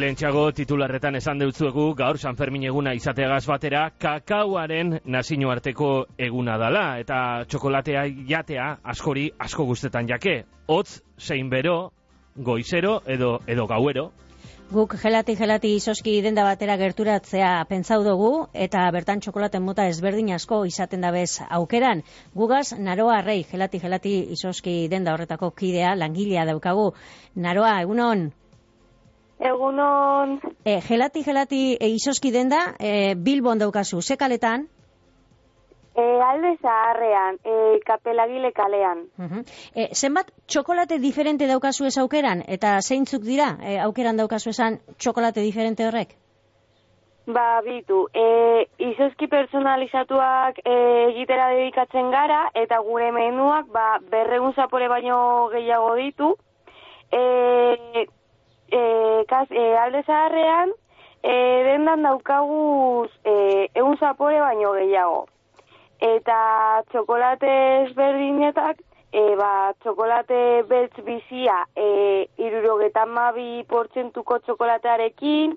lehentxago titularretan esan deutzuegu gaur San Fermin eguna izateagaz batera kakauaren nazioarteko eguna dala eta txokolatea jatea askori asko gustetan jake. Hotz, zein bero, goizero edo gauero. Guk gelati izoski denda batera gerturatzea pentsau dugu eta bertan txokolaten mota ezberdin asko izaten dabez aukeran. Gugaz Naroa Arrei gelati izoski denda horretako kidea langilea daukagu. Naroa, egunon? Egunon. Gelati izoski denda Bilbon daukazu, ze kaletan? Alde Zaharrean, Kapelagile kalean. Zenbat txokolate diferente daukazu ez aukeran? Eta zeintzuk dira aukeran daukazu esan txokolate diferente horrek? Ba, bitu. Izoski personalizatuak egitera dedikatzen gara, eta gure menuak 200 zapore baino gehiago ditu. Alde Zaharrean, dendan daukaguz 100 zapore baino gehiago. Eta txokolate ezberdinetak, txokolate beltz bizia 72% txokolatearekin,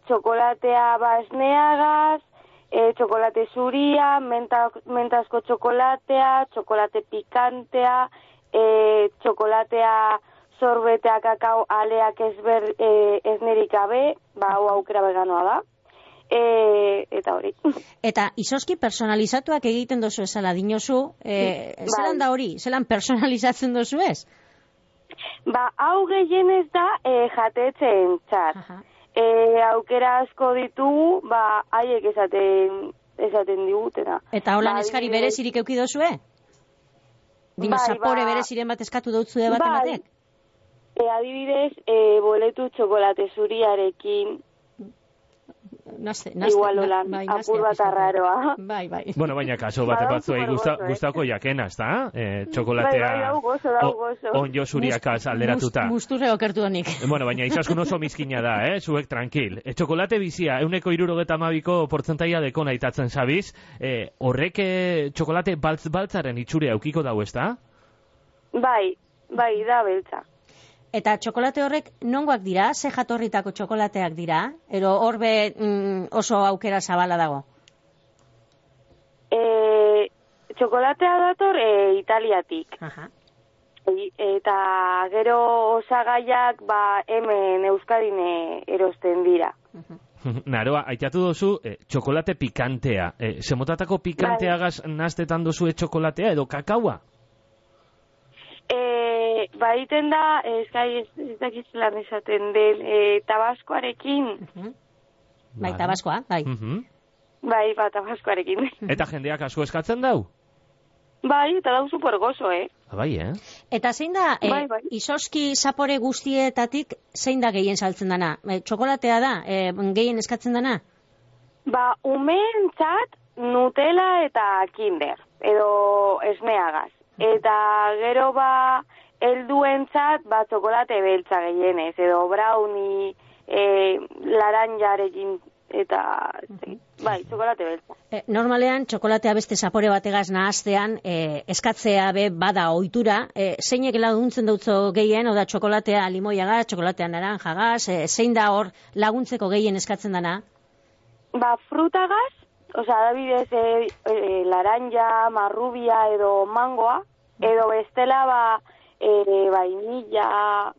txokolatea basneagaz, txokolate zuria, mentazko txokolatea, txokolate pikantea, txokolatea sorbetea kakao aleak eznerik gabe, hau aukera veganoa da. Eta hori. Eta izoski personalizatuak egiten dozu esala dinozu, zelan da hori? Zelan personalizatzen dozu ez? Hau gehienez da jatetzen txat. Aukera asko ditugu, haiek esaten digutena. Eta holan eskari berezirik euki dozue? Dino zapore bereziren bat eskatu dautzue bat ematek? Adibidez, boletu txokolate zuriarekin, igual holan, apur bat arraroa. Bai. Bueno, baina kaso bate batzuei gustako jakena, ezta? Txokolatea onjo zuriakaz alderatuta. Gusturre okertu honik. Bueno, baina izaskun oso mizkina da, zuek tranquil. Txokolate bizia, 172% dekona itatzen zabiz, horrek txokolate baltzaren itxure aukiko dau, ezta? Bai, da beltza. Eta txokolate horrek nongoak dira? Ze jatorritako txokolateak dira? Ero horbe oso aukera zabala dago? Txokolatea dator Italiatik. Eta gero osagaiak hemen Euskadin erosten dira. Naroa, aitatu dozu txokolate pikantea. Zemotatako pikanteagaz naztetan dozu txokolatea edo kakaua? Baiten da, ez dakiz lan esaten den, tabaskoarekin. Bai, tabaskoa, bai. Bai, tabaskoarekin. Eta jendeak asko eskatzen dau? Bai, eta dau super gozo, Bai, Eta zein da, izoski zapore guztietatik, zein da gehien saltzen dana? Txokolatea da, gehien eskatzen dana? Umeentzat Nutella eta Kinder, edo esneagaz. Eta gero helduentzat txokolate beltza gehienez, edo brownie, laranjarekin, eta txokolate beltza. Normalean, txokolatea beste zapore bategaz nahaztean, eskatzea bada ohitura, zeinek laguntzen dutzo gehien, oda txokolatea limoiagaz, txokolatea naranjagaz, zein da hor laguntzeko gehien eskatzen dana? Frutagaz, adibidez, laranja, marrubia edo mangoa, edo bestela vainilla.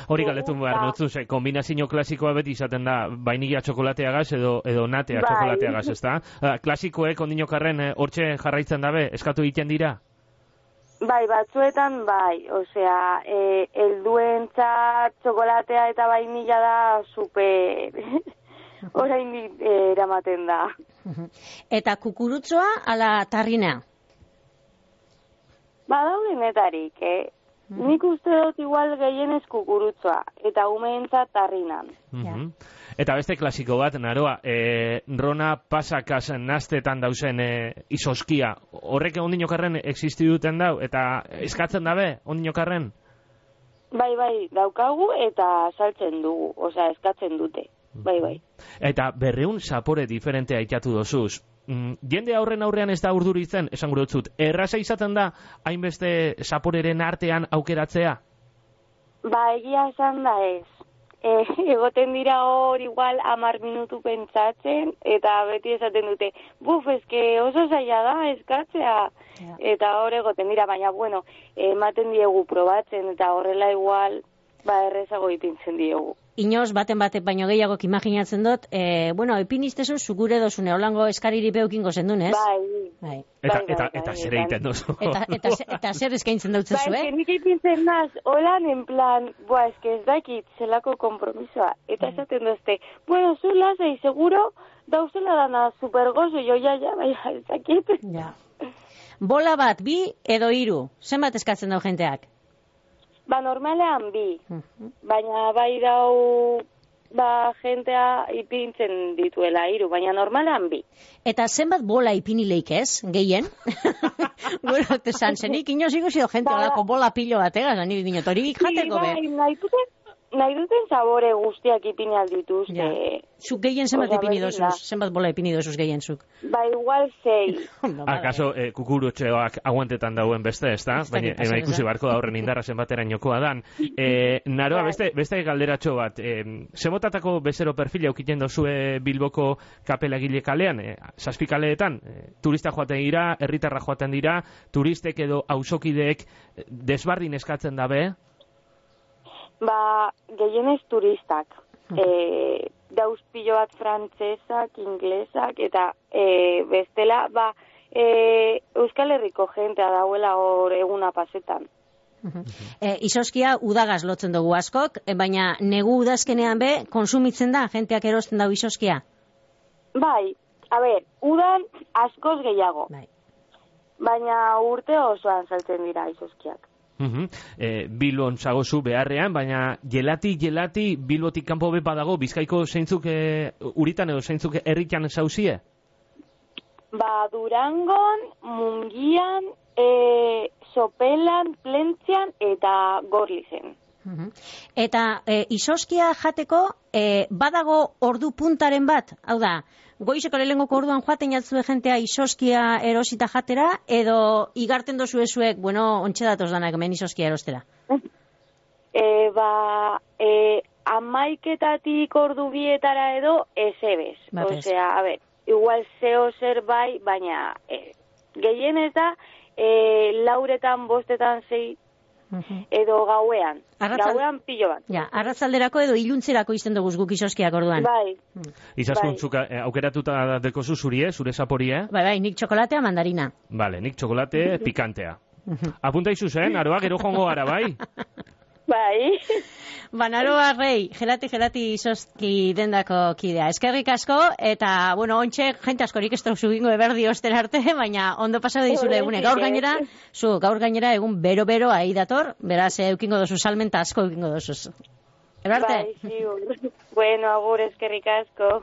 Hori galetu behar dutzu, kombinazio klasikoa beti izaten da vainilla txokolateagaz edo natea txokolateagaz, ezta? Klasikoek ondinokarren hortxe jarraitzen dabe, eskatu egiten dira? Batzuetan helduentzat txokolatea eta vainilla da super... Orain eramaten da. Eta kukurutzoa ala tarrinea? Badaudenetarik, Nik uste dut igual gehienez kukurutzoa, eta umeentzat tarrinan. Eta beste klasiko bat, Naroa, Rona pasakaz naztetan dauzen izoskia, horrek ondinokarren existi duten dau, eta eskatzen dabe ondinokarren? Bai, daukagu eta saltzen dugu, eskatzen dute. Bai. Eta 200 zapore diferentea itatu dozuz. Jende aurrean ez da urduritzen, esan gure dutzut, erraza izaten da hainbeste zaporeren artean aukeratzea? Egia esan da ez. egoten dira hor igual 10 minutu pentsatzen, eta beti esaten dute, eske oso zaila da eskatzea, eta hor egoten dira, baina bueno, ematen diegu probatzen, eta horrela igual, errezago ipintzen diegu. Inoz, baten baino gehiagok imaginatzen dut, epinistezu zugure dozune, holango eskariri beukingo zendun, ez? Bai. Eta zer egiten duzu. Eta zer eskaintzen dautzezu, eh? Nik ipintzen naz, holan, en plan, ez dakit zelako kompromisoa. Eta esaten duzte, zu lasai, seguro, dauzela dana supergozo, jo, ez dakit. Ja. Bola bat, 2 edo 3, zenbat eskatzen dau jenteak? Normalean 2, baina bai dau, jentea ipintzen dituela 3, baina normalean 2. Eta zenbat bola ipinileik ez, gehien? Bueno, zenik inoz ikusi do jente olako bola pilo bat, zani dinot, hori jateko be. Nahi duten sabore guztiak ipini aldituzte. Ja. Zuk gehien zenbat ipini dozuz, zenbat bola ipini dozuz gehien zuk? Igual 6. Akaso, kukurutxeoak aguantetan dauen beste, ez da? Baina ikusi barko da horren indarra zenbatera inokoa dan. Naroa, beste galderatxo bat, zemotatako bezero perfila aukiten dozue Bilboko kapelagile kalean, 7 kaleetan, turista joaten dira, herritarra joaten dira, turistek edo auzokideek desbardin eskatzen dabe? Gehienez turistak. Dauz pilo bat frantzesak, inglesak, eta bestela, Euskal Herriko jentea dauela hor eguna pasetan. Izoskia udagaz lotzen dugu askok, baina negu udazkenean konsumitzen da, jenteak erosten dau izoskia? Udan askoz gehiago. Baina urte osoan saltzen dira izoskiak. Bilbon zagozu beharrean, baina gelati Bilbotik kanpo badago, Bizkaiko zeintzuk uritan edo zeintzuk herritan zauzie? Durangon, Mungian, Sopelan, Plentzian eta Gorlizen. Eta izoskia jateko badago ordu puntaren bat, hau da, goizeko lehengoko orduan joaten jatzue jentea izoskia erosita jatera, edo igarten dozu ezuek, ontxe datoz danak hemen izoskia erostera? 11:00 ordu 2:00 edo ezebez. Osea, igual zeo zer bai, baina gehien ez da, 4:00, 5:00, 6:00, edo gauean. Gauean pilo bat. Arratzalderako edo iluntzerako izten dugu guk izoskiak orduan. Bai. Izaskun, aukeratuta dekozu zurie, zure zaporie? Bai, nik txokolatea mandarina. Vale, nik txokolate pikantea. Apunta izuzen, Aroa, gero jongo gara, bai? Bai. Naroa Rei, gelati izozki dendako kidea. Eskerrik asko, eta, ontxe, jente askorik ez dauzu gingo eberdi osten arte, baina ondo pasado dizule egune. Gaur gainera egun bero-bero ahi dator, beraz, eukingo dozu salmenta asko eukingo dozu. Erarte? Bai, ziur. Bueno, agur, eskerrik asko.